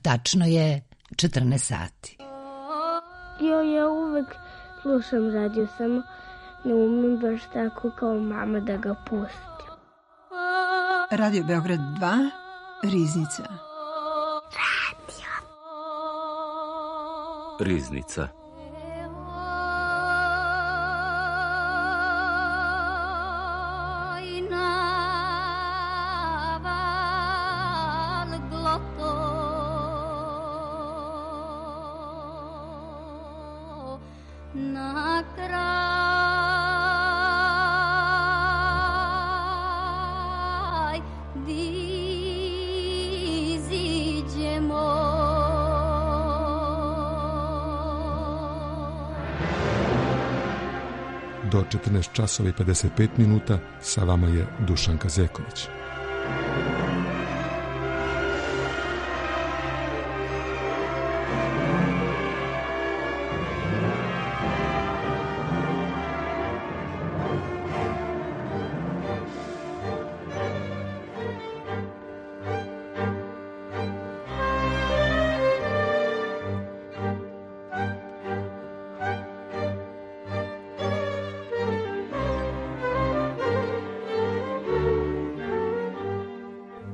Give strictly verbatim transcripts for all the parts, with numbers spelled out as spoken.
tačno je četrnaest sati. Jo, ja uvek slušam radio, samo ne umem baš tako kao mama da ga pustim. Radio Beograd dva, Riznica. Radio. Riznica. Do četrnaest časova i pedeset pet minuta sa vama je Dušan Kazeković.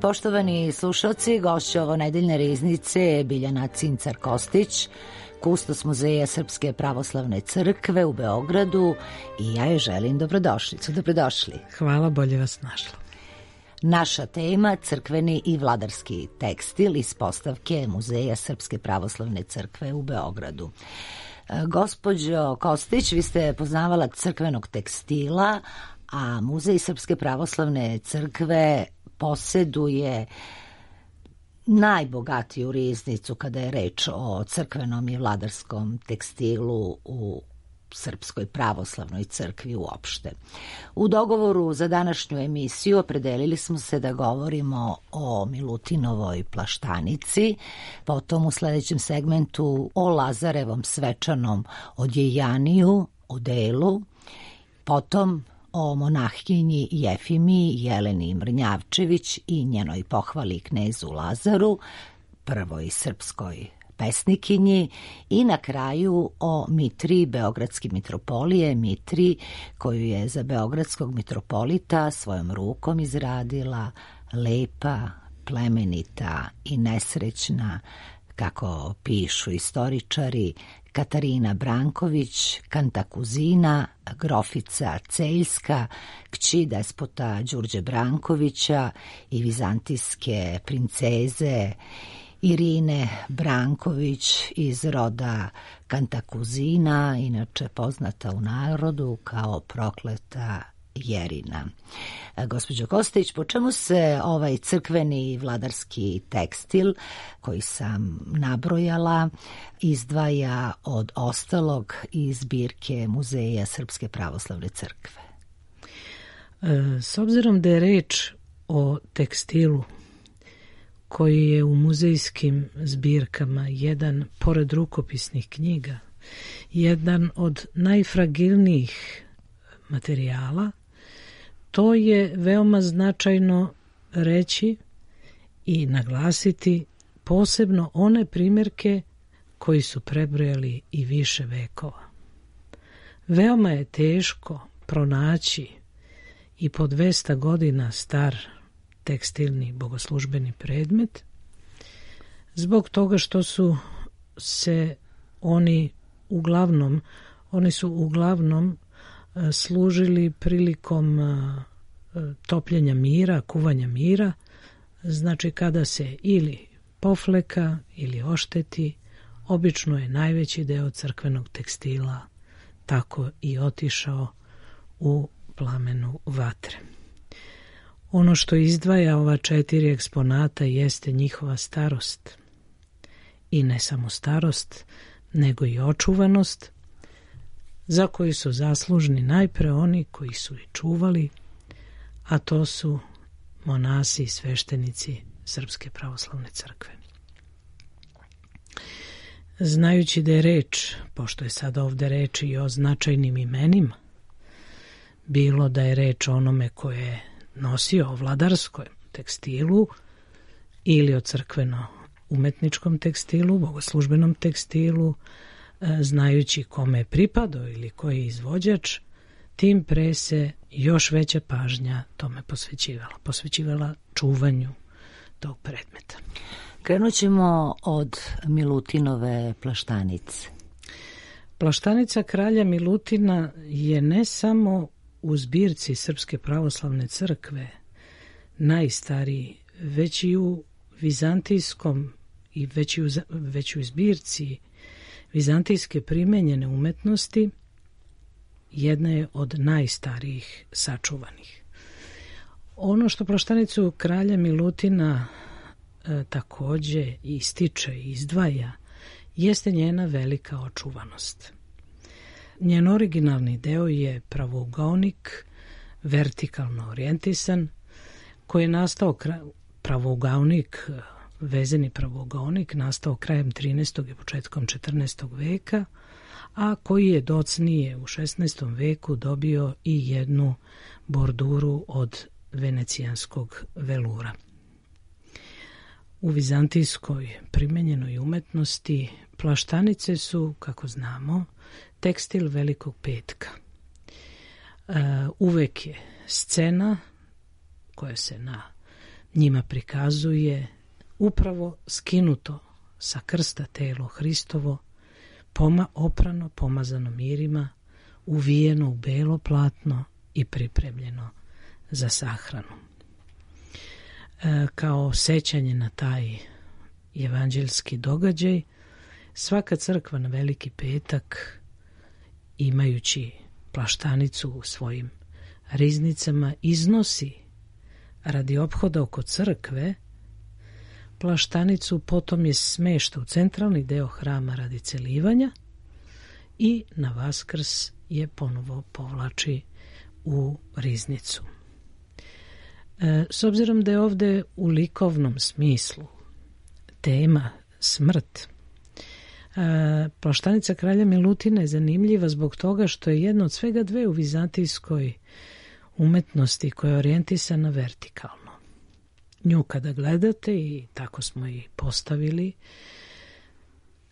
Poštovani slušalci, gošća ovo nedeljne riznice je Biljana Cincar-Kostić, kustos Muzeja Srpske pravoslavne crkve u Beogradu i ja joj želim dobrodošlicu. Dobrodošli. Hvala, bolje vas našla. Naša tema, crkveni i vladarski tekstil iz postavke Muzeja Srpske pravoslavne crkve u Beogradu. Gospođo Kostić, vi ste poznavala crkvenog tekstila, a Muzej Srpske pravoslavne crkve poseduje najbogatiju riznicu kada je reč o crkvenom i vladarskom tekstilu u Srpskoj pravoslavnoj crkvi uopšte. U dogovoru za današnju emisiju opredelili smo se da govorimo o Milutinovoj plaštanici, potom u sledećem segmentu o Lazarevom svečanom odjejaniju, odelu, potom o monahkinji Jefimiji Jeleni Mrnjavčević i njenoj pohvali knezu Lazaru, prvoj srpskoj pesnikinji, i na kraju o Mitriji Beogradske mitropolije, Mitriji koju je za beogradskog mitropolita svojom rukom izradila lepa, plemenita i nesrećna, kako pišu istoričari, Katarina Branković, kantakuzina, grofica Celjska, kći despota Đurđe Brankovića i vizantijske princeze Irine Branković iz roda kantakuzina, inače poznata u narodu kao prokleta Jerina. Gospođo Kostić, po čemu se ovaj crkveni i vladarski tekstil koji sam nabrojala izdvaja od ostalog iz zbirke Muzeja Srpske pravoslavne crkve? S obzirom da je reč o tekstilu koji je u muzejskim zbirkama jedan, pored rukopisnih knjiga, jedan od najfragilnijih materijala, to je veoma značajno reći i naglasiti posebno one primjerke koji su prebrojali i više vekova. Veoma je teško pronaći i po dvesta godina star tekstilni bogoslužbeni predmet, zbog toga što su se oni uglavnom, oni su uglavnom služili prilikom topljenja mira, kuvanja mira, znači kada se ili pofleka ili ošteti, obično je najveći deo crkvenog tekstila tako i otišao u plamenu vatre. Ono što izdvaja ova četiri eksponata jeste njihova starost. I ne samo starost, nego i očuvanost, za koju su zaslužni najpre oni koji su i čuvali, a to su monasi i sveštenici Srpske pravoslavne crkve. Znajući da je reč, pošto je sad ovde reč i o značajnim imenima, bilo da je reč o onome koje je nosio o vladarskom tekstilu ili o crkveno umetničkom tekstilu, bogoslužbenom tekstilu, znajući kome je pripadao ili koji je izvođač, tim pre se još veća pažnja tome posvećivala. Posvećivala čuvanju tog predmeta. Krenut ćemo od Milutinove plaštanice. Plaštanica kralja Milutina je ne samo u zbirci Srpske pravoslavne crkve najstariji, već i u vizantijskom i već i u, već i u zbirci vizantijske primenjene umetnosti jedna je od najstarijih sačuvanih. Ono što plaštanicu kralja Milutina e, takođe ističe i izdvaja jeste njena velika očuvanost. Njen originalni deo je pravougaonik, vertikalno orijentisan, koji je nastao pravougaonik, vezeni pravougaonik, nastao krajem trinaestog i početkom četrnaestog veka, a koji je docnije u šesnaestom veku dobio i jednu borduru od venecijanskog velura. U vizantijskoj primenjenoj umetnosti plaštanice su, kako znamo, tekstil Velikog petka. E, uvek je scena koja se na njima prikazuje upravo skinuto sa krsta telo Hristovo, poma, oprano, pomazano mirima, uvijeno u belo platno i pripremljeno za sahranu. E, kao sećanje na taj evanđeljski događaj, svaka crkva na Veliki petak, imajući plaštanicu u svojim riznicama, iznosi radi ophoda oko crkve plaštanicu, potom je smešta u centralni deo hrama radi celivanja i na Vaskrs je ponovo povlači u riznicu. E, s obzirom da je ovde u likovnom smislu tema smrt, e, plaštanica kralja Milutina je zanimljiva zbog toga što je jedna od svega dve u vizantijskoj umetnosti koja je orijentisana vertikalno. Nju kada gledate, i tako smo i postavili,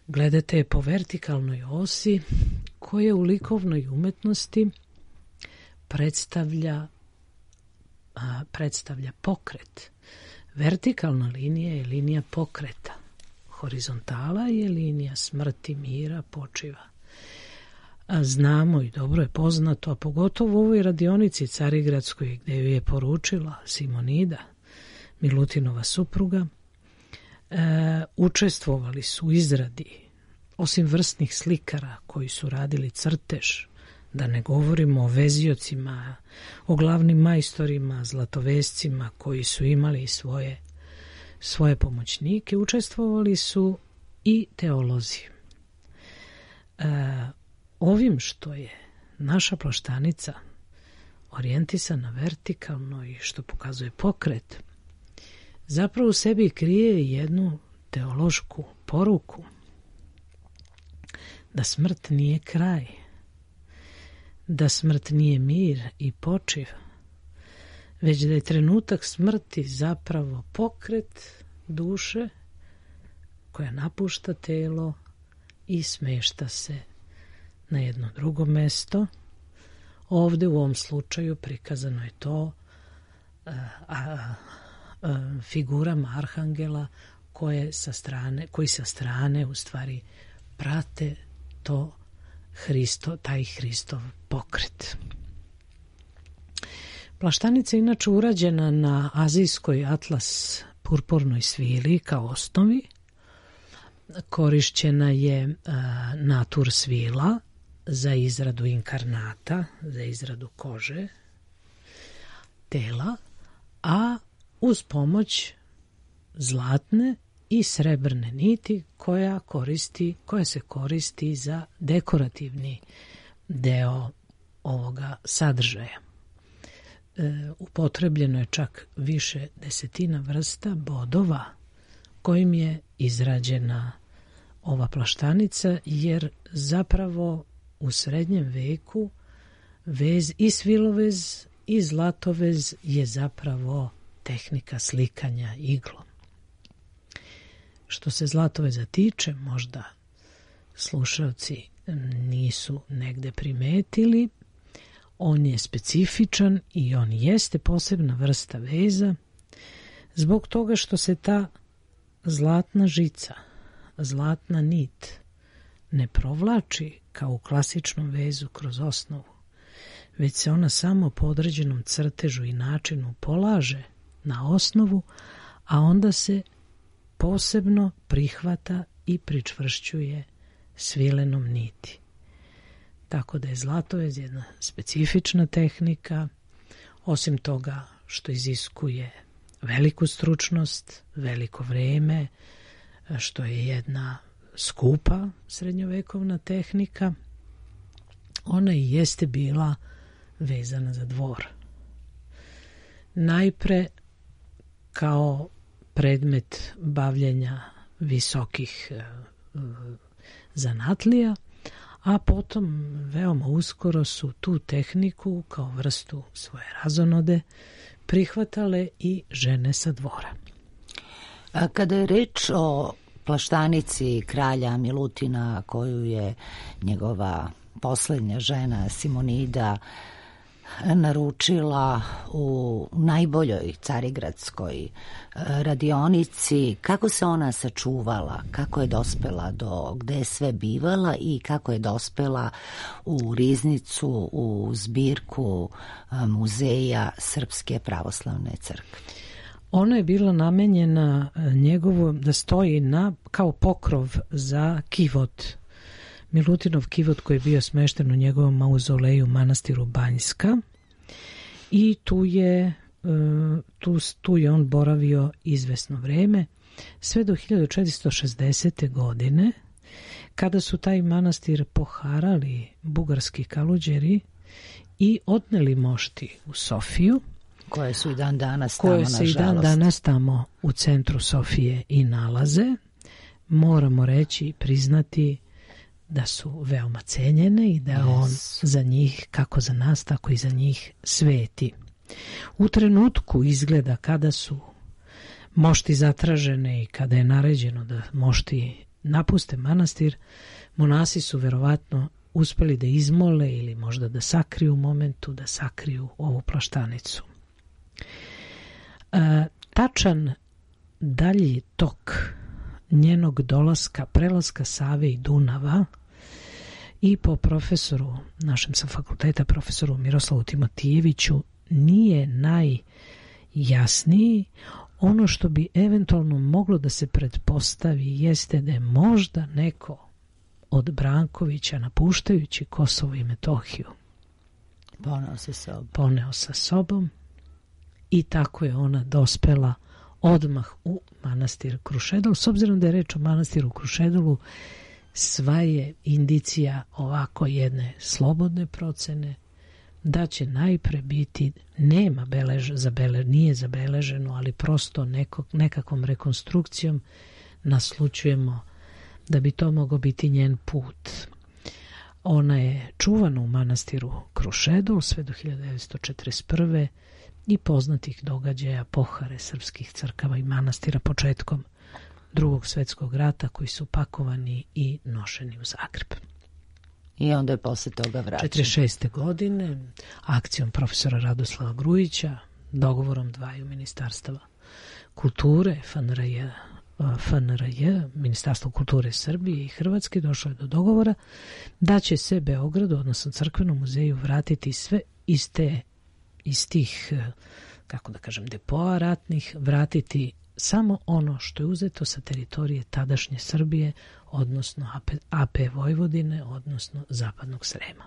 gledate je po vertikalnoj osi koja u likovnoj umetnosti predstavlja, a, predstavlja pokret. Vertikalna linija je linija pokreta. Horizontala je linija smrti, mira, počiva. A znamo i dobro je poznato, a pogotovo u ovoj radionici Carigradskoj gde ju je poručila Simonida, Milutinova supruga, e, učestvovali su u izradi, osim vrstnih slikara koji su radili crtež, da ne govorimo o veziocima, o glavnim majstorima, zlatovescima koji su imali svoje, svoje pomoćnike, učestvovali su i teolozi. E, ovim što je naša plaštanica orijentisana vertikalno i što pokazuje pokret, zapravo u sebi krije jednu teološku poruku da smrt nije kraj, da smrt nije mir i počiv, već da je trenutak smrti zapravo pokret duše koja napušta telo i smešta se na jedno drugo mesto. Ovde u ovom slučaju prikazano je to a, a, a, figurama arhangela koje sa strane, koji sa strane u stvari prate to Hristo, taj Hristov pokret. Plaštanica je inače urađena na azijskoj atlas purpurnoj svili kao osnovi. Korišćena je a, natur svila za izradu inkarnata, za izradu kože, tela, a uz pomoć zlatne i srebrne niti koja koristi, koja se koristi za dekorativni deo ovoga sadržaja. E, upotrebljeno je čak više desetina vrsta bodova kojim je izrađena ova plaštanica, jer zapravo u srednjem veku vez i svilovez i zlatovez je zapravo tehnika slikanja iglom. Što se Zlatoveza tiče, možda slušalci nisu negde primetili, on je specifičan i on jeste posebna vrsta veza zbog toga što se ta zlatna žica, zlatna nit ne provlači kao u klasičnom vezu kroz osnovu, već se ona samo po određenom crtežu i načinu polaže na osnovu, a onda se posebno prihvata i pričvršćuje svilenom niti. Tako da je zlatovez jedna specifična tehnika, osim toga što iziskuje veliku stručnost, veliko vreme, što je jedna skupa srednjovekovna tehnika, ona i jeste bila vezana za dvor. Najpre kao predmet bavljenja visokih zanatlija, a potom veoma uskoro su tu tehniku kao vrstu svoje razonode prihvatale i žene sa dvora. A kada je reč o plaštanici kralja Milutina koju je njegova poslednja žena Simonida naručila u najboljoj carigradskoj radionici, kako se ona sačuvala, kako je dospela do gde je sve bivala i kako je dospela u riznicu, u zbirku muzeja Srpske pravoslavne crkve? Ona je bila namenjena njegovo da stoji na kao pokrov za kivot. Milutinov kivot koji je bio smešten u njegovom mauzoleju manastiru Banjska i tu je, tu, tu je on boravio izvesno vreme sve do hiljadu četiristo šezdesete. godine kada su taj manastir poharali bugarski kaluđeri i odneli mošti u Sofiju, koje su i dan danas tamo, koje se i dan danas tamo u centru Sofije i nalaze. Moramo reći i priznati da su veoma cenjene i da yes. on za njih, kako za nas, tako i za njih sveti. U trenutku izgleda kada su mošti zatražene i kada je naređeno da mošti napuste manastir, monasi su verovatno uspeli da izmole ili možda da sakriju u momentu, da sakriju ovu plaštanicu. E, tačan dalji tok njenog dolaska, prelaska Save i Dunava i po profesoru, našem sa fakulteta, profesoru Miroslavu Timotijeviću, nije najjasniji. Ono što bi eventualno moglo da se pretpostavi jeste da je možda neko od Brankovića, napuštajući Kosovo i Metohiju, poneo sa sobom. poneo sa sobom i tako je ona dospela odmah u manastir Krušedol. S obzirom da je reč o manastiru Krušedolu, sva je indicija ovako jedne slobodne procene da će najpre biti, nema belež, zabele, nije zabeleženo, ali prosto nekog, nekakvom rekonstrukcijom naslučujemo da bi to mogao biti njen put. Ona je čuvana u manastiru Krušedol sve do hiljadu devetsto četrdeset prve. i poznatih događaja pohare srpskih crkava i manastira početkom Drugog svetskog rata koji su pakovani i nošeni u Zagreb. I onda je posle toga vraćen. četrdeset šeste. godine akcijom profesora Radoslava Grujića, dogovorom dvaju ministarstava kulture, F N R J, F N R J, Ministarstvo kulture Srbije i Hrvatske, došlo je do dogovora da će se Beogradu, odnosno Crkvenom muzeju, vratiti sve iz te, iz tih, kako da kažem, depoa ratnih, vratiti samo ono što je uzeto sa teritorije tadašnje Srbije, odnosno A P Vojvodine, odnosno Zapadnog Srema.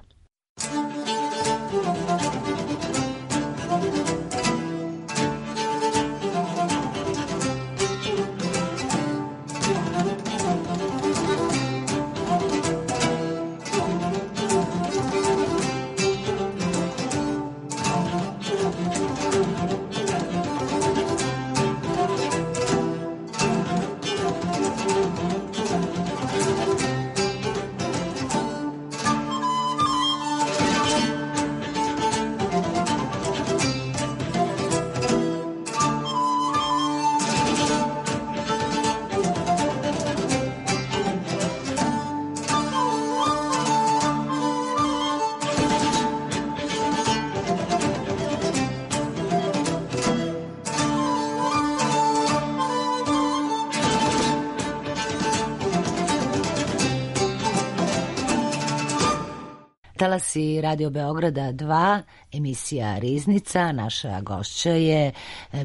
talasy Radio Beograda dva, emisija Riznica. Naša gošća je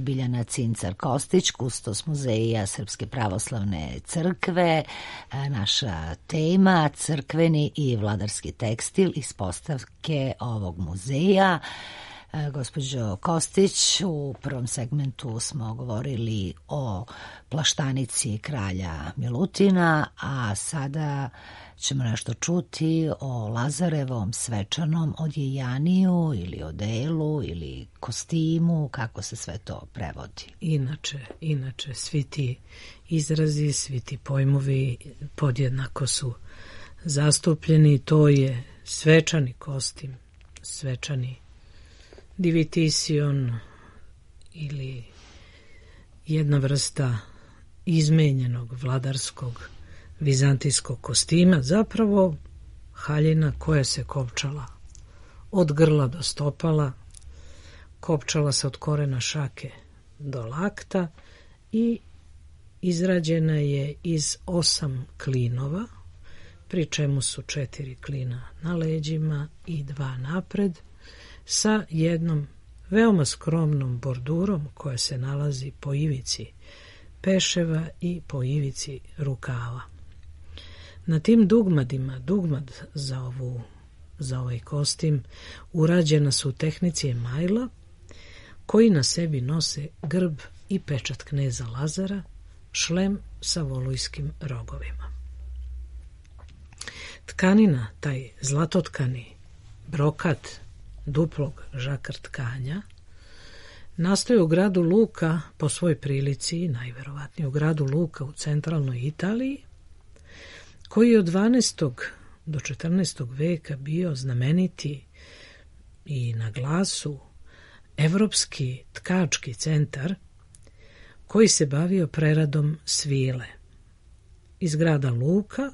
Biljana Cincar-Kostić, kustos Muzeja Srpske pravoslavne crkve. Naša tema crkveni i vladarski tekstil iz postavke ovog muzeja. Gospođo Kostić, u prvom segmentu smo govorili o plaštanici kralja Milutina, a sada ćemo nešto čuti o Lazarevom svečanom odjejaniju ili odelu ili kostimu, kako se sve to prevodi. Inače, inače, svi ti izrazi, svi ti pojmovi podjednako su zastupljeni. To je svečani kostim, svečani divitision ili jedna vrsta izmenjenog vladarskog vizantijskog kostima, zapravo haljina koja se kopčala od grla do stopala, kopčala se od korena šake do lakta i izrađena je iz osam klinova, pri čemu su četiri klina na leđima i dva napred, sa jednom veoma skromnom bordurom koja se nalazi po ivici peševa i po ivici rukava. Na tim dugmadima, dugmad za, ovu, za ovaj kostim, urađena su u tehnici emajla, koji na sebi nose grb i pečat kneza Lazara, šlem sa volujskim rogovima. Tkanina, taj zlatotkani brokat duplog žakar tkanja, nastoji u gradu Luka po svoj prilici, najverovatnije u gradu Luka u centralnoj Italiji, koji je od dvanaestog do četrnaestog veka bio znameniti i na glasu evropski tkački centar koji se bavio preradom svile. Iz grada Luka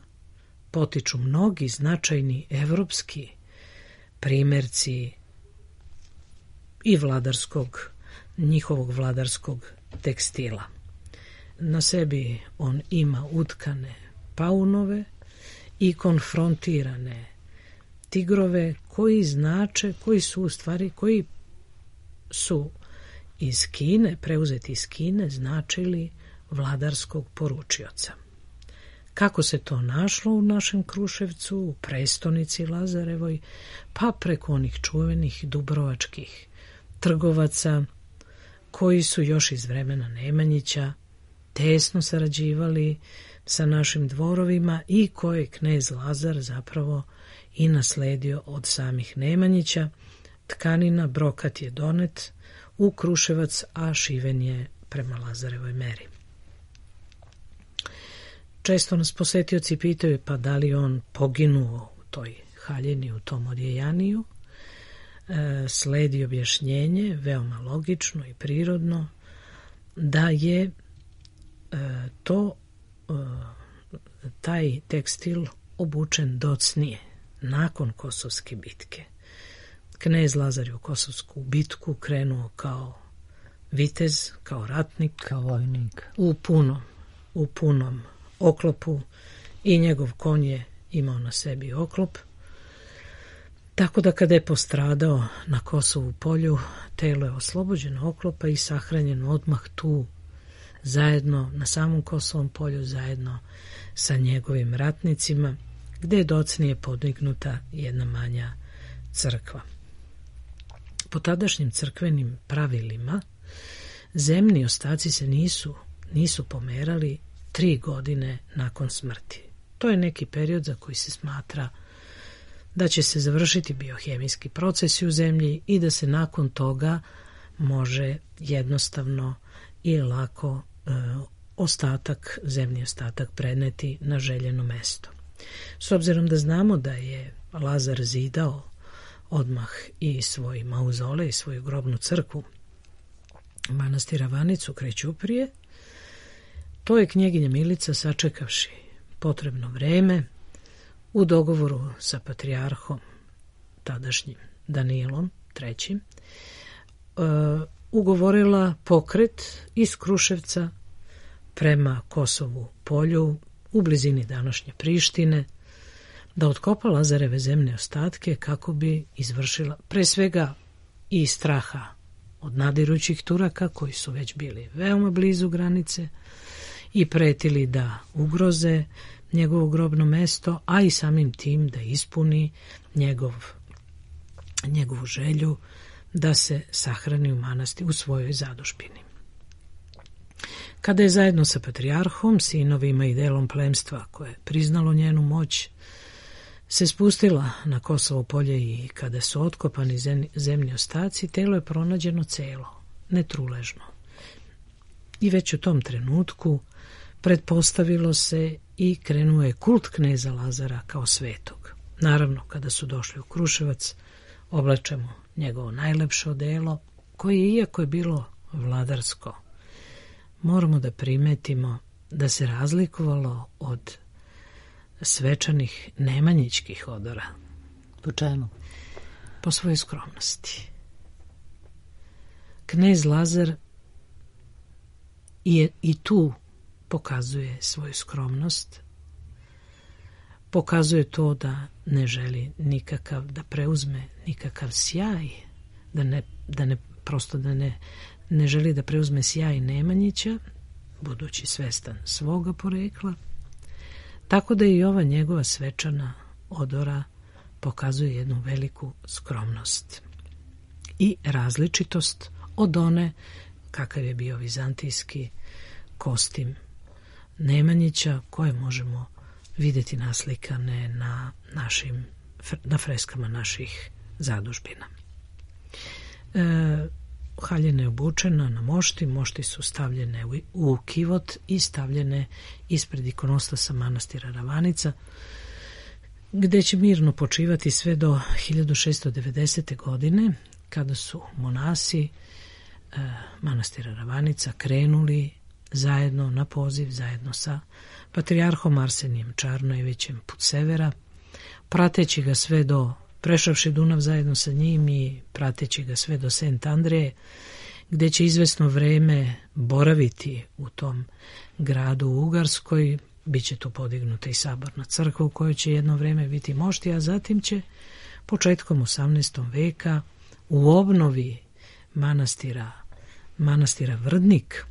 potiču mnogi značajni evropski primjerci i vladarskog, njihovog vladarskog tekstila. Na sebi on ima utkane paunove i konfrontirane tigrove koji znače, koji su u stvari, koji su iz Kine, preuzeti iz Kine, značili vladarskog poručioca. Kako se to našlo u našem Kruševcu, u prestonici Lazarevoj, pa preko onih čuvenih dubrovačkih trgovaca koji su još iz vremena Nemanjića tesno sarađivali sa našim dvorovima i koje je knez Lazar zapravo i nasledio od samih Nemanjića. Tkanina, brokat je donet u Kruševac, a šiven je prema Lazarevoj meri. Često nas posetioci pitaju pa da li on poginuo u toj haljini, u tom odjejaniju. E, sledi objašnjenje, veoma logično i prirodno, da je e, to e, taj tekstil obučen docnije, nakon Kosovske bitke. Knez Lazar je u Kosovsku bitku krenuo kao vitez, kao ratnik, kao vojnik, u punom, u punom oklopu i njegov konj je imao na sebi oklop. Tako da kada je postradao na Kosovu polju, telo je oslobođeno oklopa i sahranjeno odmah tu, zajedno na samom Kosovom polju, zajedno sa njegovim ratnicima, gde je docnije podignuta jedna manja crkva. Po tadašnjim crkvenim pravilima, zemni ostaci se nisu, nisu pomerali tri godine nakon smrti. To je neki period za koji se smatra da će se završiti biohemijski procesi u zemlji i da se nakon toga može jednostavno i lako e, ostatak, zemlji ostatak preneti na željeno mesto. S obzirom da znamo da je Lazar zidao odmah i svoj mauzole i svoju grobnu crkvu manastira Vanicu kraj Ćuprije, to je knjeginja Milica, sačekavši potrebno vreme, u dogovoru sa patrijarhom tadašnjim Danilom trećim, uh, ugovorila pokret iz Kruševca prema Kosovu polju u blizini današnje Prištine, da otkopa Lazareve zemne ostatke kako bi izvršila pre svega i straha od nadirućih Turaka koji su već bili veoma blizu granice i pretili da ugroze njegovo grobno mesto, a i samim tim da ispuni njegov, njegovu želju da se sahrani u manasti u svojoj zadužbini. Kada je zajedno sa patrijarhom, sinovima i delom plemstva koje je priznalo njenu moć, se spustila na Kosovo polje i kada su otkopani zemlji ostaci, telo je pronađeno celo, netruležno. I već u tom trenutku pretpostavilo se i krenuo je kult kneza Lazara kao svetog. Naravno, kada su došli u Kruševac, oblačemo njegovo najlepše odelo, koje, iako je bilo vladarsko, moramo da primetimo da se razlikovalo od svečanih nemanjićkih odora. Po čemu? Po svojoj skromnosti. Knez Lazar je i tu pokazuje svoju skromnost, pokazuje to da ne želi nikakav, da preuzme nikakav sjaj, da ne, da ne prosto da ne, ne želi da preuzme sjaj Nemanjića, budući svestan svoga porekla, tako da i ova njegova svečana odora pokazuje jednu veliku skromnost i različitost od one kakav je bio vizantijski kostim Nemanjića, koje možemo vidjeti naslikane na našim na freskama naših zadužbina. E, haljina je obučena na mošti, mošti su stavljene u, u kivot i stavljene ispred ikonostasa manastira Ravanica, gde će mirno počivati sve do hiljadu šessto devedesete. godine, kada su monasi e, manastira Ravanica krenuli zajedno na poziv, zajedno sa patrijarhom Arsenijem Čarnojevićem put severa, prateći ga sve do, prešavši Dunav zajedno sa njim i prateći ga sve do Sent Andreje, gde će izvesno vreme boraviti u tom gradu u Ugarskoj. Biće tu podignuta i saborna crkva u kojoj će jedno vreme biti mošti, a zatim će početkom osamnaestog veka u obnovi manastira, manastira Vrdnik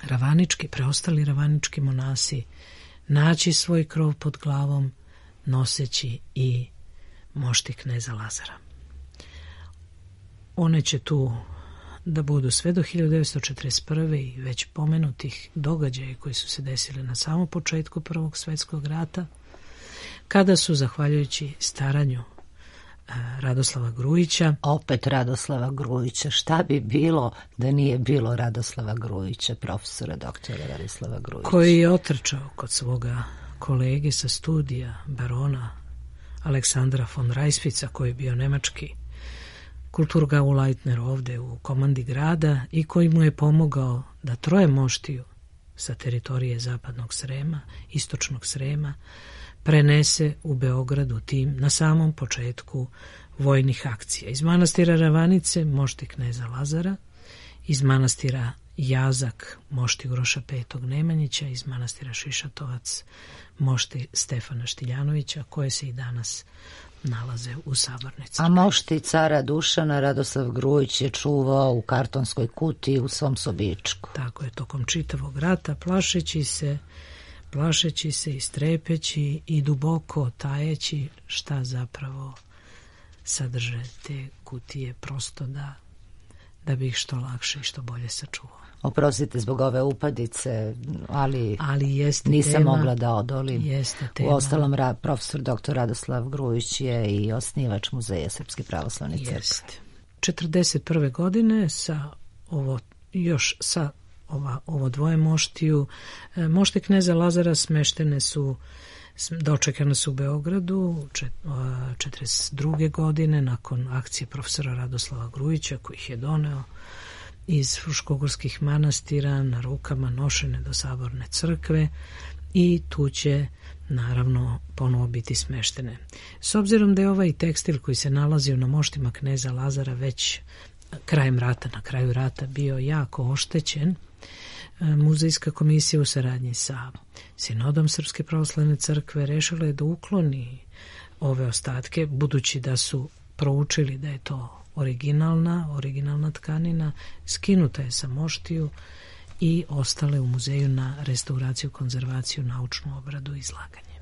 ravanički, preostali ravanički monasi naći svoj krov pod glavom, noseći i mošti kneza Lazara. One će tu da budu sve do hiljadu devetsto četrdeset prve. i već pomenutih događaja koji su se desili na samom početku Prvog svjetskog rata, kada su, zahvaljujući staranju Radoslava Grujića. Opet Radoslava Grujića. Šta bi bilo da nije bilo Radoslava Grujića, profesora doktora Radoslava Grujića? Koji je otrčao kod svoga kolege sa studija, barona Aleksandra von Rajsvica, koji je bio nemački Kulturgauleitner ovde u komandi grada i koji mu je pomogao da troje moštiju sa teritorije zapadnog Srema, istočnog Srema, prenese u Beogradu tim na samom početku vojnih akcija. Iz manastira Ravanice mošti kneza Lazara, iz manastira Jazak mošti Uroša petog Nemanjića, iz manastira Šišatovac mošti Stefana Štiljanovića, koje se i danas nalaze u sabornici. A mošti cara Dušana Radoslav Grujić je čuvao u kartonskoj kutiji u svom sobičku. Tako je, tokom čitavog rata, plašeći se plašeći se i strepeći i duboko tajeći šta zapravo sadrže te kutije, prosto da, da bi ih što lakše i što bolje sačuvao. Oprostite zbog ove upadice, ali, ali jeste nisam tema, mogla da odolim. Jeste tema. U ostalom, ra, profesor doktor Radoslav Grujić je i osnivač Muzeja Srpske pravoslavne crkve. Jeste. četrdeset prve. godine sa ovo, još sa ova, ovo dvoje moštiju, mošte kneza Lazara smeštene su, dočekane su u Beogradu četrdeset druge. godine nakon akcije profesora Radoslava Grujića, koji ih je doneo iz fruškogorskih manastira na rukama nošene do saborne crkve, i tu će naravno ponovo biti smeštene. S obzirom da je ovaj tekstil koji se nalazio na moštima kneza Lazara već krajem rata, na kraju rata bio jako oštećen, Muzejska komisija u saradnji sa Sinodom Srpske pravoslavne crkve rešila je da ukloni ove ostatke, budući da su proučili da je to originalna, originalna tkanina, skinuta je sa moštiju i ostale u muzeju na restauraciju, konzervaciju, naučnu obradu i izlaganje.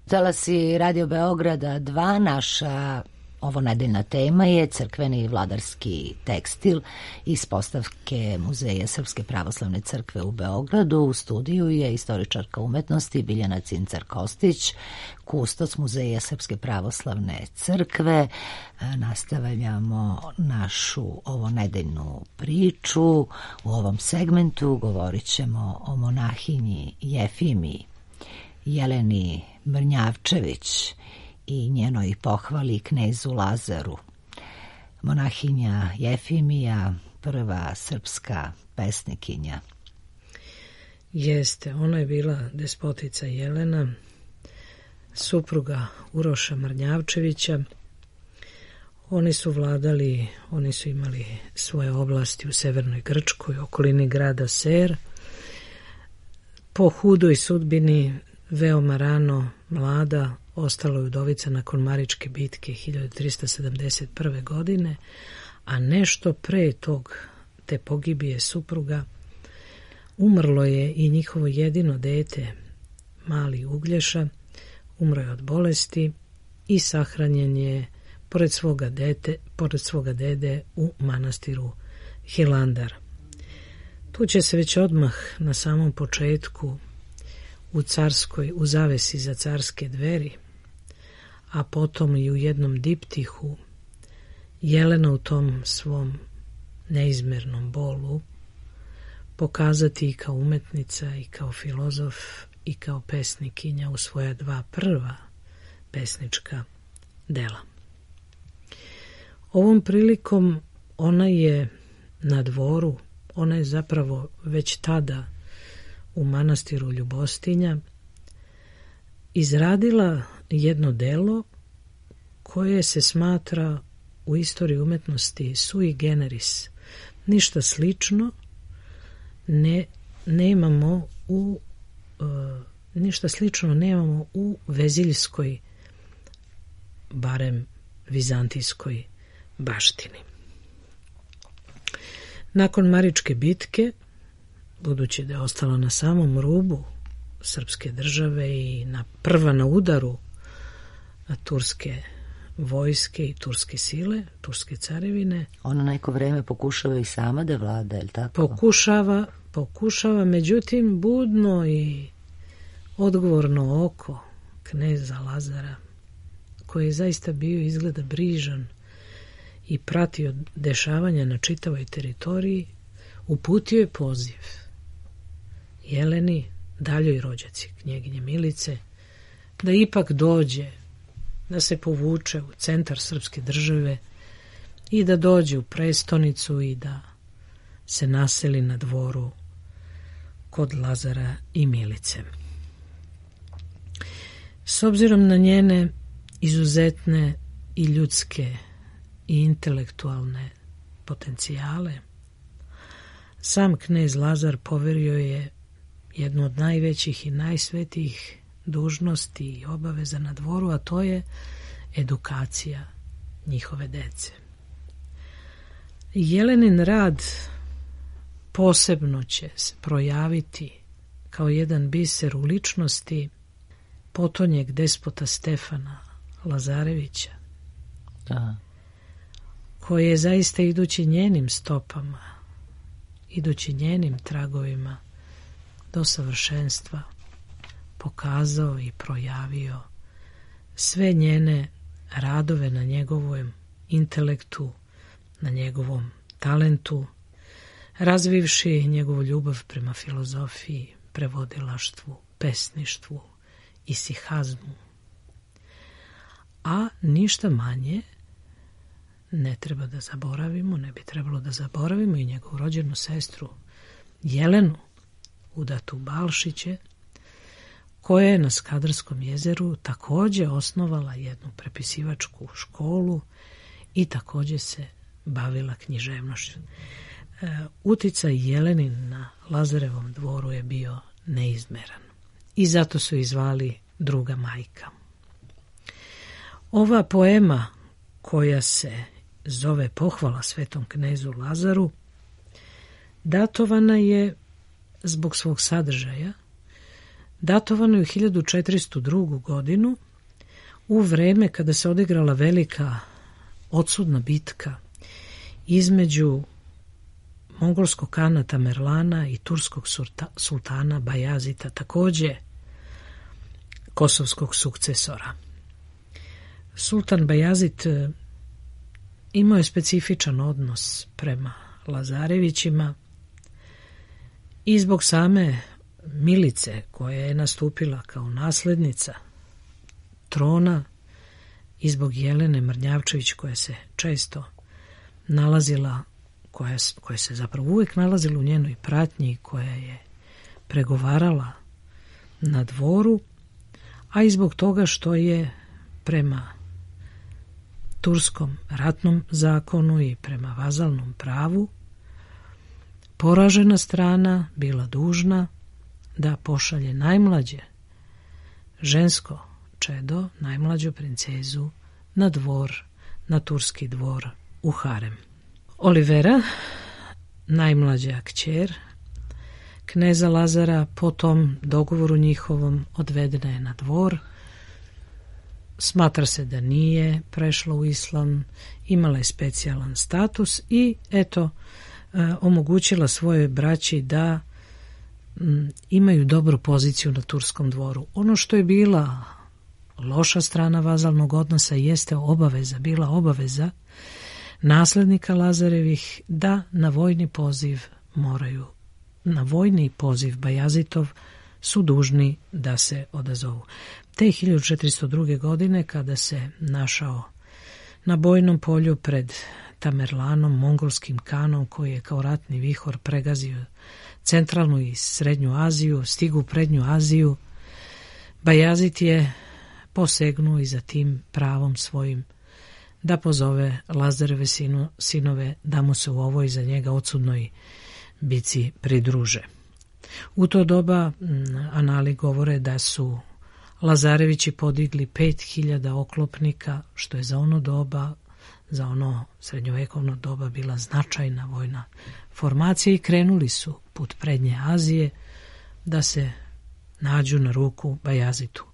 Talasi Radio Beograda dva, naša ovo nedeljna tema je crkveni i vladarski tekstil iz postavke Muzeja Srpske pravoslavne crkve u Beogradu. U studiju je istoričarka umetnosti Biljana Cincar-Kostić, kustoc Muzeja Srpske pravoslavne crkve. Nastavljamo našu ovo nedeljnu priču. U ovom segmentu govorit ćemo o monahinji Jefimiji Jeleni Mrnjavčević i njenoj pohvali knezu Lazaru. Monahinja Jefimija, prva srpska pesnikinja. Jeste, ona je bila despotica Jelena, supruga Uroša Mrnjavčevića. Oni su vladali, oni su imali svoje oblasti u severnoj Grčkoj, okolini grada Ser. Po hudoj sudbini veoma rano, mlada, ostala je udovica nakon Maričke bitke hiljadu trista sedamdeset prve. godine, a nešto pre tog te pogibije supruga umrlo je i njihovo jedino dete, mali Uglješa, umro je od bolesti i sahranjen je pored svoga, dete, pored svoga dede u manastiru Hilandar. Tu će se već odmah na samom početku u carskoj, u zavesi za carske dveri, a potom i u jednom diptihu, Jelena u tom svom neizmernom bolu pokazati i kao umetnica i kao filozof i kao pesnikinja u svoja dva prva pesnička dela. Ovom prilikom ona je na dvoru, ona je zapravo već tada u manastiru Ljubostinja izradila jedno delo koje se smatra u istoriji umetnosti sui generis. Ništa slično ne nemamo u uh, ništa slično nemamo u veziljskoj, barem vizantijskoj baštini. Nakon Maričke bitke, budući da je ostala na samom rubu srpske države i na prva na udaru na turske vojske i turske sile, turske carevine. Ona neko vreme pokušava i sama da vlada, je li tako? Pokušava, pokušava, međutim budno i odgovorno oko kneza Lazara, koji je zaista bio izgleda brižan i pratio dešavanja na čitavoj teritoriji, uputio je poziv Jeleni, daljoj rođaci knjeginje Milice, da ipak dođe da se povuče u centar srpske države i da dođe u prestonicu i da se naseli na dvoru kod Lazara i Milice. S obzirom na njene izuzetne i ljudske i intelektualne potencijale, sam knez Lazar poverio je jednu od najvećih i najsvetijih dužnosti i obaveza na dvoru, a to je edukacija njihove dece. Jelenin rad posebno će se projaviti kao jedan biser u ličnosti potonjeg despota Stefana Lazarevića, da. koji je zaista idući njenim stopama, idući njenim tragovima do savršenstva pokazao i projavio sve njene radove na njegovom intelektu, na njegovom talentu, razvivši njegovu ljubav prema filozofiji, prevodilaštvu, pesništvu i sihazmu. A ništa manje ne treba da zaboravimo, ne bi trebalo da zaboravimo i njegovu rođenu sestru Jelenu, udatu Balšiće, koja je na Skadarskom jezeru također osnovala jednu prepisivačku školu i također se bavila književnošću. E, uticaj Jelenin na Lazarevom dvoru je bio neizmeran i zato su izvali druga majka. Ova poema koja se zove Pohvala svetom knezu Lazaru datovana je zbog svog sadržaja, datovano je u hiljadu četiristo drugu godinu u vreme kada se odigrala velika odsudna bitka između mongolskog kana Tamerlana i turskog sultana Bajazita, također kosovskog sukcesora. Sultan Bajazit imao je specifičan odnos prema Lazarevićima i zbog same Milice, koja je nastupila kao naslednica trona, i zbog Jelene Mrnjavčević, koja se često nalazila, koja, koja se zapravo uvijek nalazila u njenoj pratnji, koja je pregovarala na dvoru, a i zbog toga što je prema turskom ratnom zakonu i prema vazalnom pravu poražena strana bila dužna da pošalje najmlađe žensko čedo, najmlađu princezu, na dvor, na turski dvor u harem. Olivera, najmlađa kćer kneza Lazara, po tom dogovoru njihovom odvedena je na dvor. Smatra se da nije prešla u islam, imala je specijalan status i eto, e, omogućila svojoj braći da m, imaju dobru poziciju na turskom dvoru. Ono što je bila loša strana vazalnog odnosa jeste obaveza, bila obaveza naslednika Lazarevih da na vojni poziv moraju, na vojni poziv Bajazitov su dužni da se odazovu. Te hiljadu četiristo druge. godine, kada se našao na bojnom polju pred Tamerlanom, mongolskim kanom, koji je kao ratni vihor pregazio centralnu i srednju Aziju, stigu u prednju Aziju, Bajazit je posegnuo i za tim pravom svojim da pozove Lazareve sinu, sinove da mu se u ovoj za njega odsudnoj bici pridruže. U to doba anali govore da su Lazarevići podigli pet hiljada oklopnika, što je za ono doba, za ono srednjovekovno doba bila značajna vojna formacija, i krenuli su put prednje Azije da se nađu na ruku Bajazitu.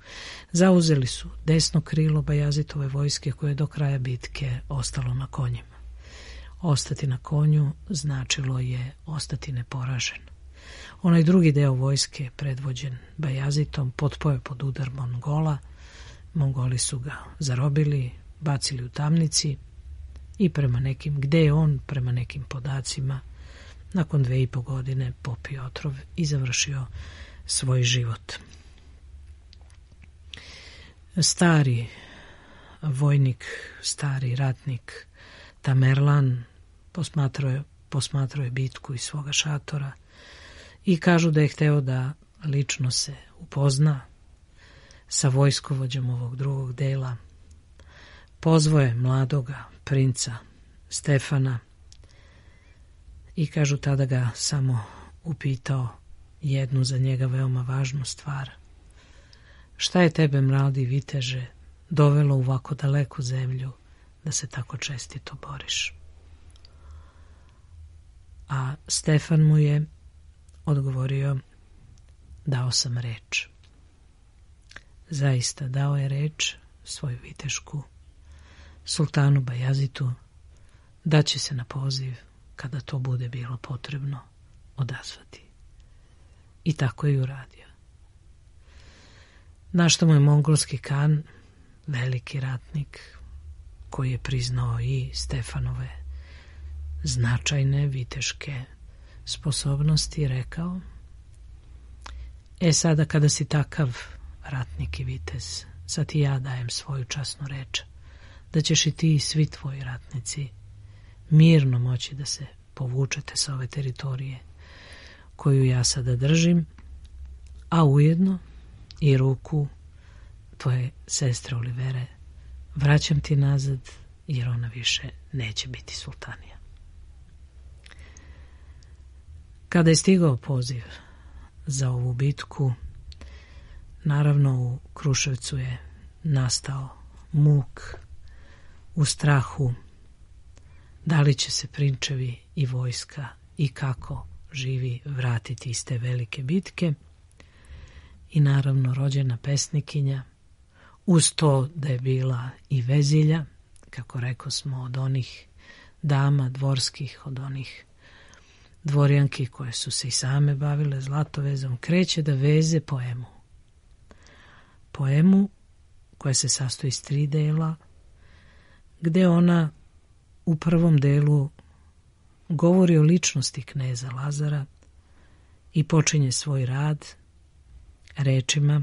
Zauzeli su desno krilo Bajazitove vojske, koje je do kraja bitke ostalo na konjima. Ostati na konju značilo je ostati neporažen. Onaj drugi deo vojske, predvođen Bajazitom, potpao je pod udar Mongola. Mongoli su ga zarobili, bacili u tamnici i prema nekim, gde je on, prema nekim podacima, nakon dve i po godine popio otrov i završio svoj život. Stari vojnik, stari ratnik Tamerlan posmatrao je, posmatrao je bitku iz svoga šatora i kažu da je hteo da lično se upozna sa vojskovođom ovog drugog dela. Pozvao je mladoga princa Stefana i kažu tada ga samo upitao jednu za njega veoma važnu stvar. Šta je tebe, mladi viteže, dovelo u ovako daleku zemlju da se tako čestito boriš? A Stefan mu je odgovorio, dao sam reč. Zaista dao je reč svoju vitešku sultanu Bajazitu da će se na poziv, kada to bude bilo potrebno, odazvati. I tako je uradio. Na što mu je mongolski kan, veliki ratnik, koji je priznao i Stefanove značajne viteške sposobnosti, rekao: E sada kada si takav ratnik i vitez, sad ti ja dajem svoju časnu reč, da ćeš i ti i svi tvoji ratnici mirno moći da se povučete sa ove teritorije koju ja sada držim, a ujedno i ruku tvoje sestre Olivere vraćam ti nazad, jer ona više neće biti sultanija. Kada je stigao poziv za ovu bitku, naravno u Kruševcu je nastao muk, u strahu da li će se prinčevi i vojska i kako živi vratiti iz te velike bitke. I naravno rođena pesnikinja, uz to da je bila i vezilja, kako reko smo, od onih dama dvorskih, od onih dvorjanki koje su se i same bavile zlatovezom, kreće da veze poemu. Poemu koja se sastoji iz tri dela, gde ona u prvom delu govori o ličnosti kneza Lazara i počinje svoj rad rečima: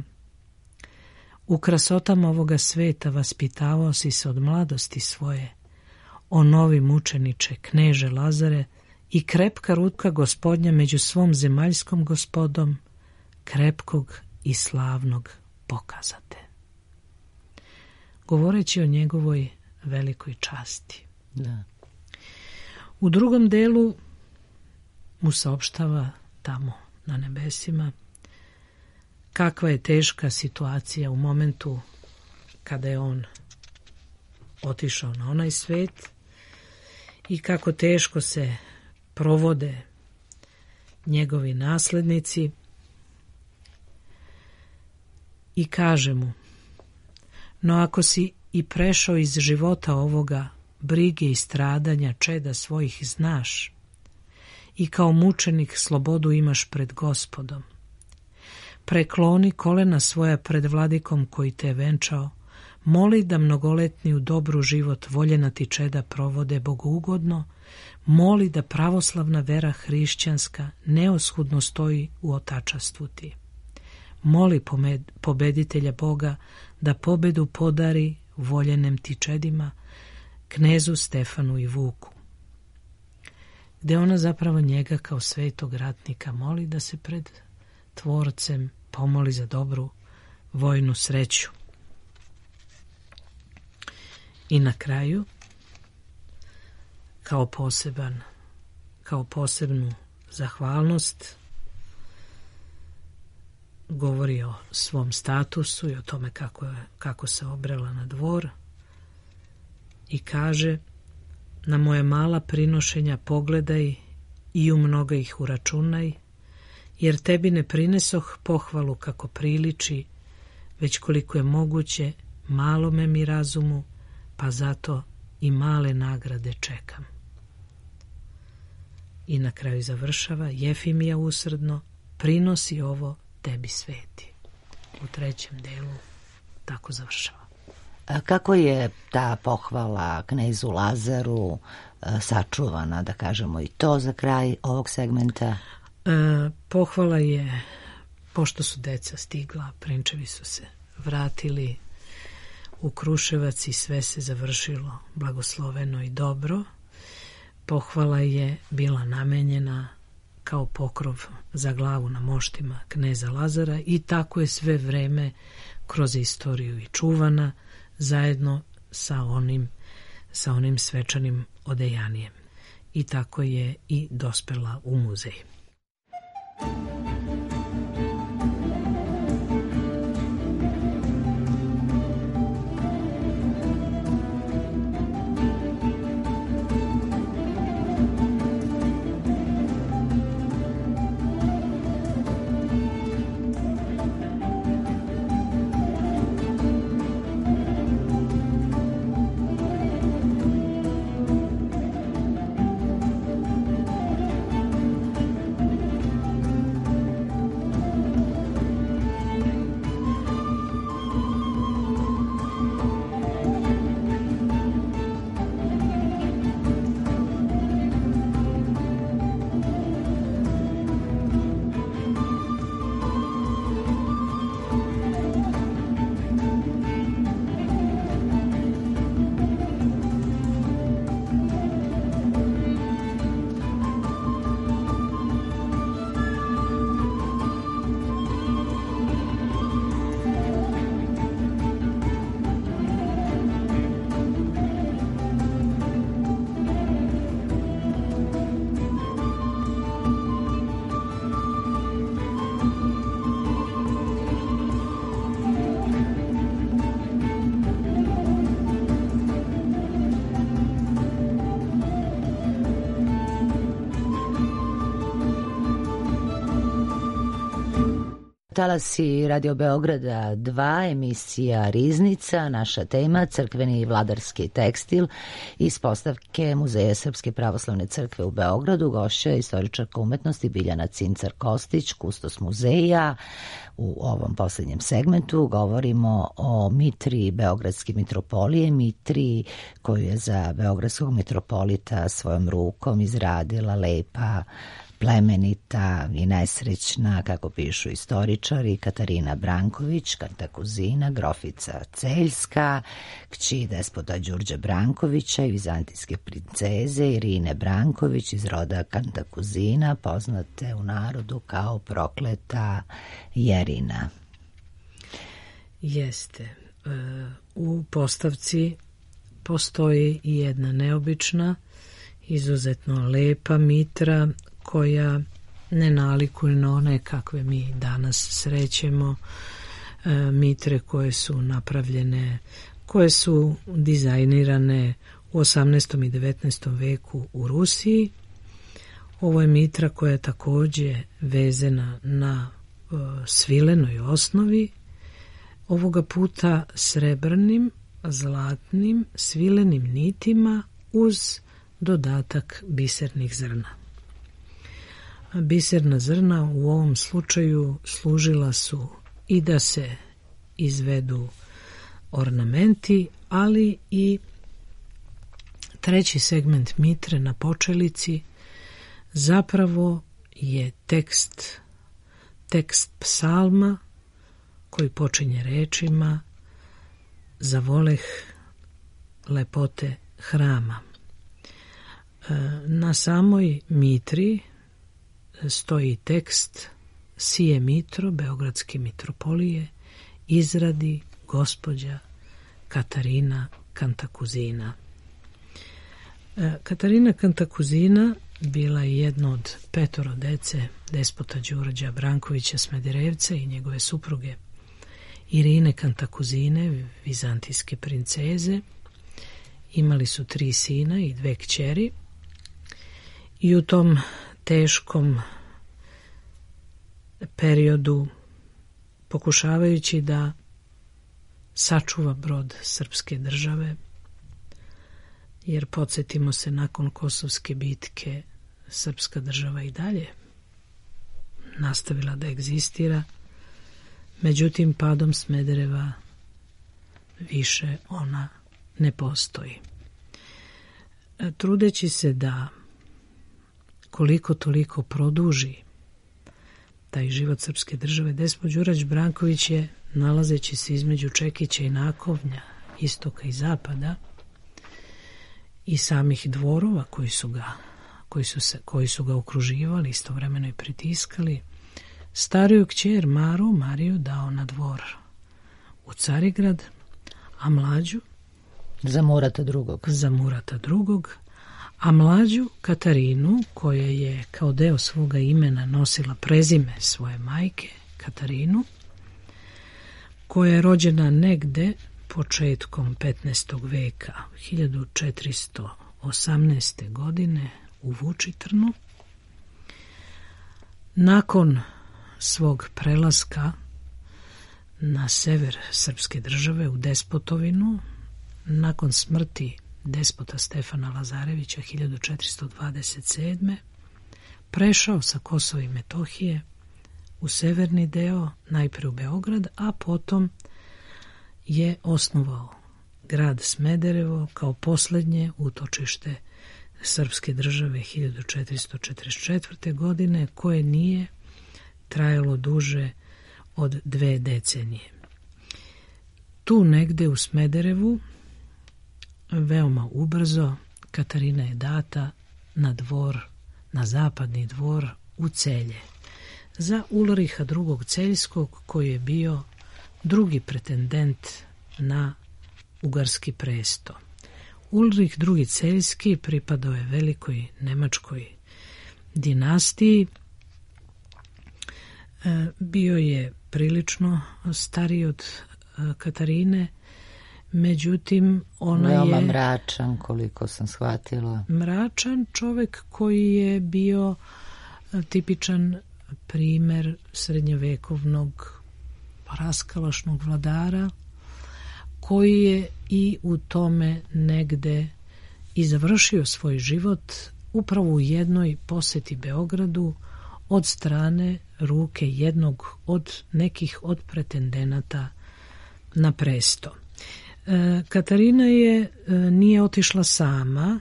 U krasotama ovoga sveta vaspitavao si se od mladosti svoje, o novi mučeniče, kneže Lazare, i krepka ruka gospodnja među svom zemaljskom gospodom, krepkog i slavnog pokazate. Govoreći o njegovoj velikoj časti. Da. U drugom delu mu saopštava tamo na nebesima kakva je teška situacija u momentu kada je on otišao na onaj svet i kako teško se provode njegovi naslednici, i kaže mu: No ako si i prešao iz života ovoga, brige i stradanja čeda svojih znaš, i kao mučenik slobodu imaš pred Gospodom, prekloni kolena svoja pred vladikom koji te je venčao, moli da mnogoletni u dobru život voljena ti čeda provode bogougodno, moli da pravoslavna vera hrišćanska neoshudno stoji u otačastvu ti. Moli pobeditelja Boga da pobedu podari voljenem ti čedima, knezu Stefanu i Vuku. Gde ona zapravo njega kao svetog ratnika moli da se pred Tvorcem pomoli za dobru vojnu sreću. I na kraju, kao poseban, kao posebnu zahvalnost, govori o svom statusu i o tome kako, je, kako se obrela na dvor i kaže: Na moje mala prinošenja pogledaj i u mnoga ih uračunaj, jer tebi ne prinesoh pohvalu kako priliči, već koliko je moguće malome mi razumu, pa zato i male nagrade čekam. I na kraju završava: Jefimija usrdno, prinosi ovo tebi sveti. U trećem delu tako završava. A kako je ta pohvala knezu Lazaru sačuvana, da kažemo i to za kraj ovog segmenta? E, pohvala je, pošto su deca stigla, prinčevi su se vratili u Kruševac i sve se završilo blagosloveno i dobro. Pohvala je bila namenjena kao pokrov za glavu na moštima kneza Lazara i tako je sve vreme kroz istoriju i čuvana zajedno sa onim, sa onim svečanim odejanijem. I tako je i dospela u muzej. Talasi Radio Beograda dva, emisija Riznica, naša tema crkveni i vladarski tekstil iz postavke Muzeja Srpske pravoslavne crkve u Beogradu. Gošća je istoričarka umetnosti Biljana Cincar-Kostić, kustos muzeja. U ovom posljednjem segmentu govorimo o mitri Beogradske mitropolije, mitri koju je za beogradskog mitropolita svojom rukom izradila lepa, plemenita i nesrećna, kako pišu istoričari, Katarina Branković, kantakuzina, grofica Celjska, kći despota Đurđa Brankovića i vizantijske princeze Irine Branković iz roda kantakuzina, poznate u narodu kao prokleta Jerina. Jeste. U postavci postoji i jedna neobična, izuzetno lepa mitra koja ne nalikuje na one kakve mi danas srećemo, e, mitre koje su napravljene, koje su dizajnirane u osamnaestom i devetnaestom veku u Rusiji. Ovo je mitra koja je također vezana na e, svilenoj osnovi, ovoga puta srebrnim, zlatnim, svilenim nitima uz dodatak bisernih zrna. Biserna zrna u ovom slučaju služila su i da se izvedu ornamenti, ali i treći segment mitre na počelici zapravo je tekst, tekst psalma koji počinje rečima zavoleh lepote hrama. Na samoj mitri stoji tekst Sije mitro Beogradske mitropolije izradi gospođa Katarina Kantakuzina. Katarina Kantakuzina bila je jedna od petoro dece despota Đurđa Brankovića Smederevca i njegove supruge Irine Kantakuzine, vizantijske princeze. Imali su tri sina i dve kćeri i u tom teškom periodu, pokušavajući da sačuva brod srpske države, jer podsjetimo se, nakon Kosovske bitke srpska država i dalje nastavila da egzistira, međutim padom Smedereva više ona ne postoji. Trudeći se da koliko toliko produži taj život srpske države, despot Đurađ Branković je, nalazeći se između čekića i nakovnja istoka i zapada i samih dvorova koji su ga, koji su se, koji su ga okruživali, istovremeno i pritiskali, stariju kćer Maru, Mariju, dao na dvor u Carigrad, a mlađu za Murata drugog. Za Murata drugog, a mlađu Katarinu, koja je kao deo svoga imena nosila prezime svoje majke, Katarinu, koja je rođena negde početkom petnaestog veka, hiljadu četiristo osamnaeste. godine u Vučitrnu. Nakon svog prelaska na sever srpske države u Despotovinu, nakon smrti despota Stefana Lazarevića hiljadu četiristo dvadeset sedme. prešao sa Kosova i Metohije u severni deo, najpre u Beograd, a potom je osnovao grad Smederevo kao posljednje utočište srpske države hiljadu četiristo četrdeset četvrte. godine, koje nije trajalo duže od dve decenije. Tu negde u Smederevu, veoma ubrzo, Katarina je data na dvor, na zapadni dvor u Celje, za Ulriha drugog. Celjskog, koji je bio drugi pretendent na ugarski presto. Ulrih drugi. Celjski pripadao je velikoj nemačkoj dinastiji. Bio je prilično stariji od Katarine, međutim ona veoma je mračan, koliko sam shvatila. Mračan čovjek koji je bio tipičan primer srednjovekovnog raskalašnog vladara, koji je i u tome negde i završio svoj život upravo u jednoj poseti Beogradu od strane ruke jednog od nekih od pretendenata na presto. E, Katarina je e, nije otišla sama,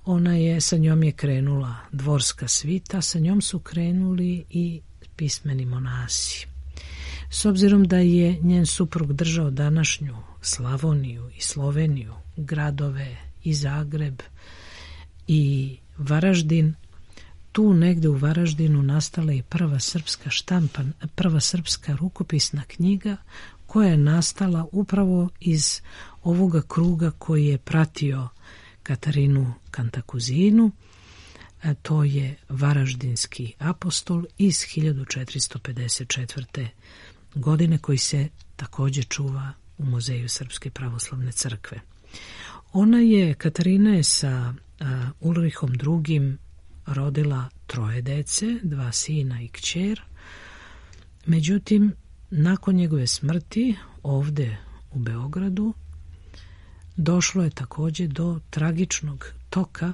ona je, sa njom je krenula dvorska svita, sa njom su krenuli i pismeni monasi. S obzirom da je njen suprug držao današnju Slavoniju i Sloveniju, gradove i Zagreb i Varaždin, tu negde u Varaždinu nastala i prva srpska štampa, prva srpska rukopisna knjiga, koja je nastala upravo iz ovoga kruga koji je pratio Katarinu Kantakuzinu. A to je Varaždinski apostol iz hiljadu četiristo pedeset četvrte. godine, koji se također čuva u Muzeju Srpske pravoslavne crkve. Ona je, Katarina je sa a, Ulrihom drugim. rodila troje dece, dva sina i kćer. Međutim, nakon njegove smrti ovde u Beogradu došlo je također do tragičnog toka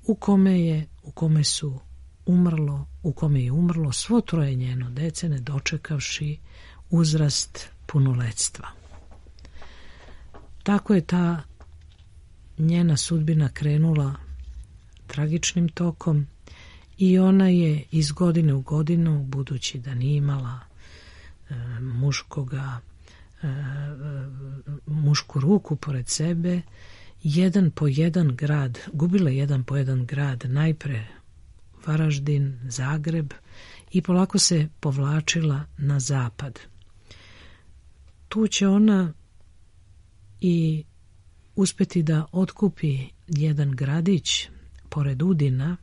u kome je u kome su umrlo, u kome je umrlo svo troje njeno dece, ne dočekavši uzrast punoletstva. Tako je ta njena sudbina krenula tragičnim tokom i ona je iz godine u godinu, budući da nije imala e, muškoga, e, mušku ruku pored sebe, jedan po jedan grad, gubila jedan po jedan grad, najpre Varaždin, Zagreb, i polako se povlačila na zapad. Tu će ona i uspeti da otkupi jedan gradić pored Udina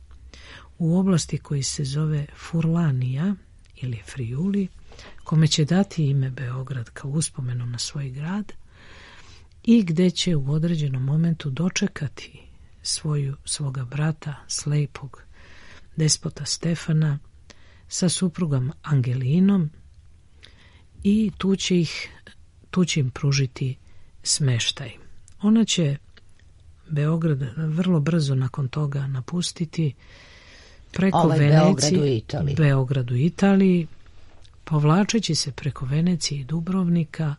u oblasti koji se zove Furlanija ili Friuli, kome će dati ime Beograd kao uspomenu na svoj grad i gde će u određenom momentu dočekati svoju, svoga brata, slepog despota Stefana, sa suprugom Angelinom, i tu će, ih, tu će im pružiti smeštaj. Ona će Beograd vrlo brzo nakon toga napustiti preko ovaj Venecije, Beogradu i Italiji. Beogradu i Italiji, povlačeći se preko Venecije i Dubrovnika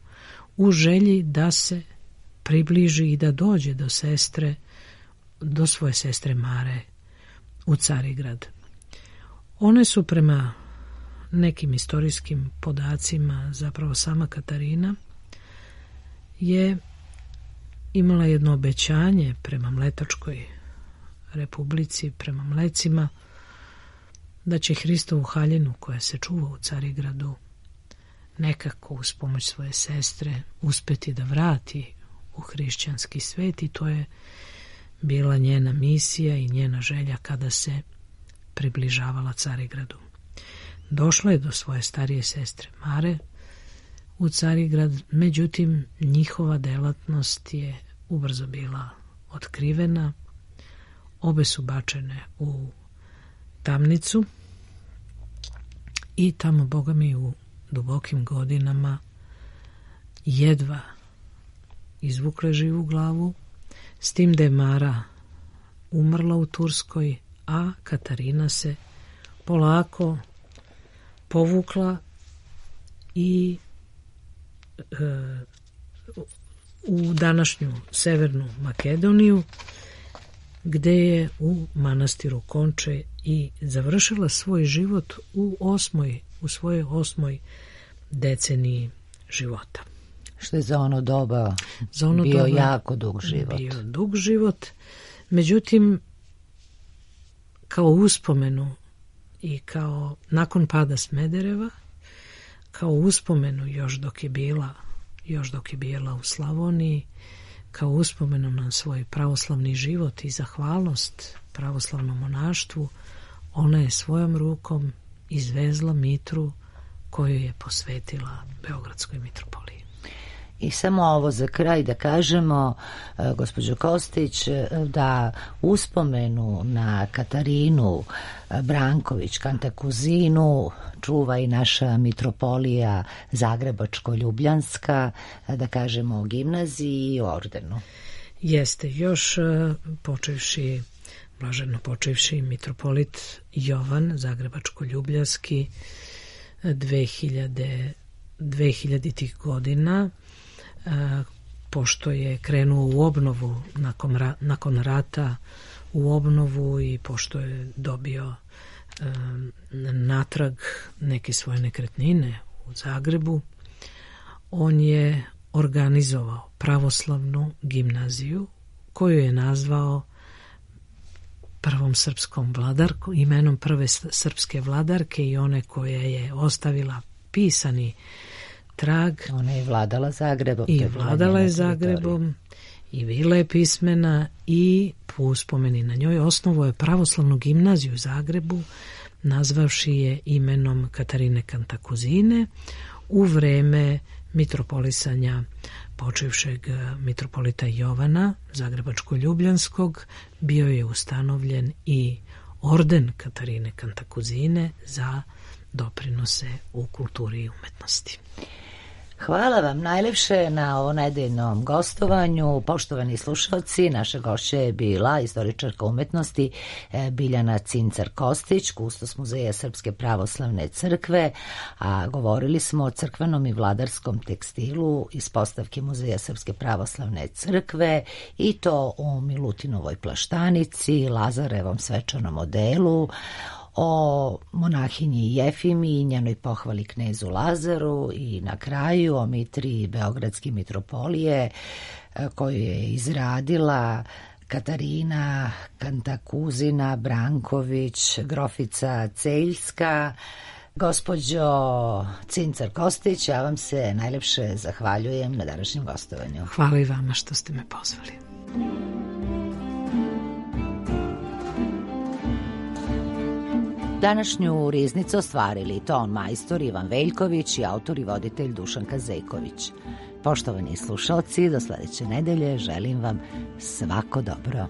u želji da se približi i da dođe do sestre, do svoje sestre Mare u Carigrad. One su prema nekim istorijskim podacima, zapravo sama Katarina je imala jedno obećanje prema Mletačkoj republici, prema Mlecima, da će Hristovu haljinu koja se čuva u Carigradu nekako uz pomoć svoje sestre uspeti da vrati u hrišćanski svet, i to je bila njena misija i njena želja kada se približavala Carigradu. Došla je do svoje starije sestre Mare u Carigrad, međutim njihova delatnost je ubrzo bila otkrivena. Obe su bačene u tamnicu i tamo, Boga mi, u dubokim godinama jedva izvukle živu glavu, s tim da je Mara umrla u Turskoj, a Katarina se polako povukla i e, u današnju Severnu Makedoniju, gde je u manastiru Konče i završila svoj život u osmoj, u svojoj osmoj deceniji života. Što je za ono doba za ono bio doba jako dug život. Bio dug život, međutim, kao uspomenu i kao nakon pada Smedereva, kao uspomenu još dok je bila, još dok je bila u Slavoniji, kao uspomenu na svoj pravoslavni život i zahvalnost pravoslavnom monaštvu, ona je svojom rukom izvezla mitru koju je posvetila Beogradskoj mitropoliji. I samo ovo za kraj da kažemo, gospođo Kostić, da uspomenu na Katarinu Branković Kantakuzinu čuva i naša mitropolija Zagrebačko-Ljubljanska, da kažemo o gimnaziji i o ordenu. Jeste, još počevši, blaženo počevši mitropolit Jovan Zagrebačko-Ljubljanski dve hiljaditih godina, pošto je krenuo u obnovu nakon, ra, nakon rata, u obnovu, i pošto je dobio e, natrag neke svoje nekretnine u Zagrebu, on je organizovao pravoslavnu gimnaziju koju je nazvao prvom srpskom vladarkom, imenom prve srpske vladarke i one koja je ostavila pisani trag. Ona je vladala Zagrebom. I vladala je Zagrebom i bila je pismena, i po uspomeni na njoj osnovo je pravoslavnu gimnaziju u Zagrebu, nazvavši je imenom Katarine Kantakuzine u vreme mitropolisanja počivšeg mitropolita Jovana Zagrebačko-Ljubljanskog. Bio je ustanovljen i orden Katarine Kantakuzine za doprinose u kulturi i umetnosti. Hvala vam najlepše na ovo nedeljnom gostovanju. Poštovani slušalci, naša gošća je bila istoričarka umetnosti Biljana Cincar-Kostić, kustos Muzeja Srpske pravoslavne crkve, a govorili smo o crkvenom i vladarskom tekstilu iz postavke Muzeja Srpske pravoslavne crkve, i to u Milutinovoj plaštanici, Lazarevom svečanom odelu, o monahinji Jefimi i njenoj pohvali knezu Lazaru, i na kraju o mitri Beogradske mitropolije koju je izradila Katarina Kantakuzina Branković, grofica Celjska. Gospođo Cincar-Kostić, ja vam se najlepše zahvaljujem na današnjem gostovanju. Hvala i vama što ste me pozvali. Današnju riznicu ostvarili ton majstor Ivan Veljković i autor i voditelj Dušan Kazejković. Poštovani slušalci, do sledeće nedelje želim vam svako dobro.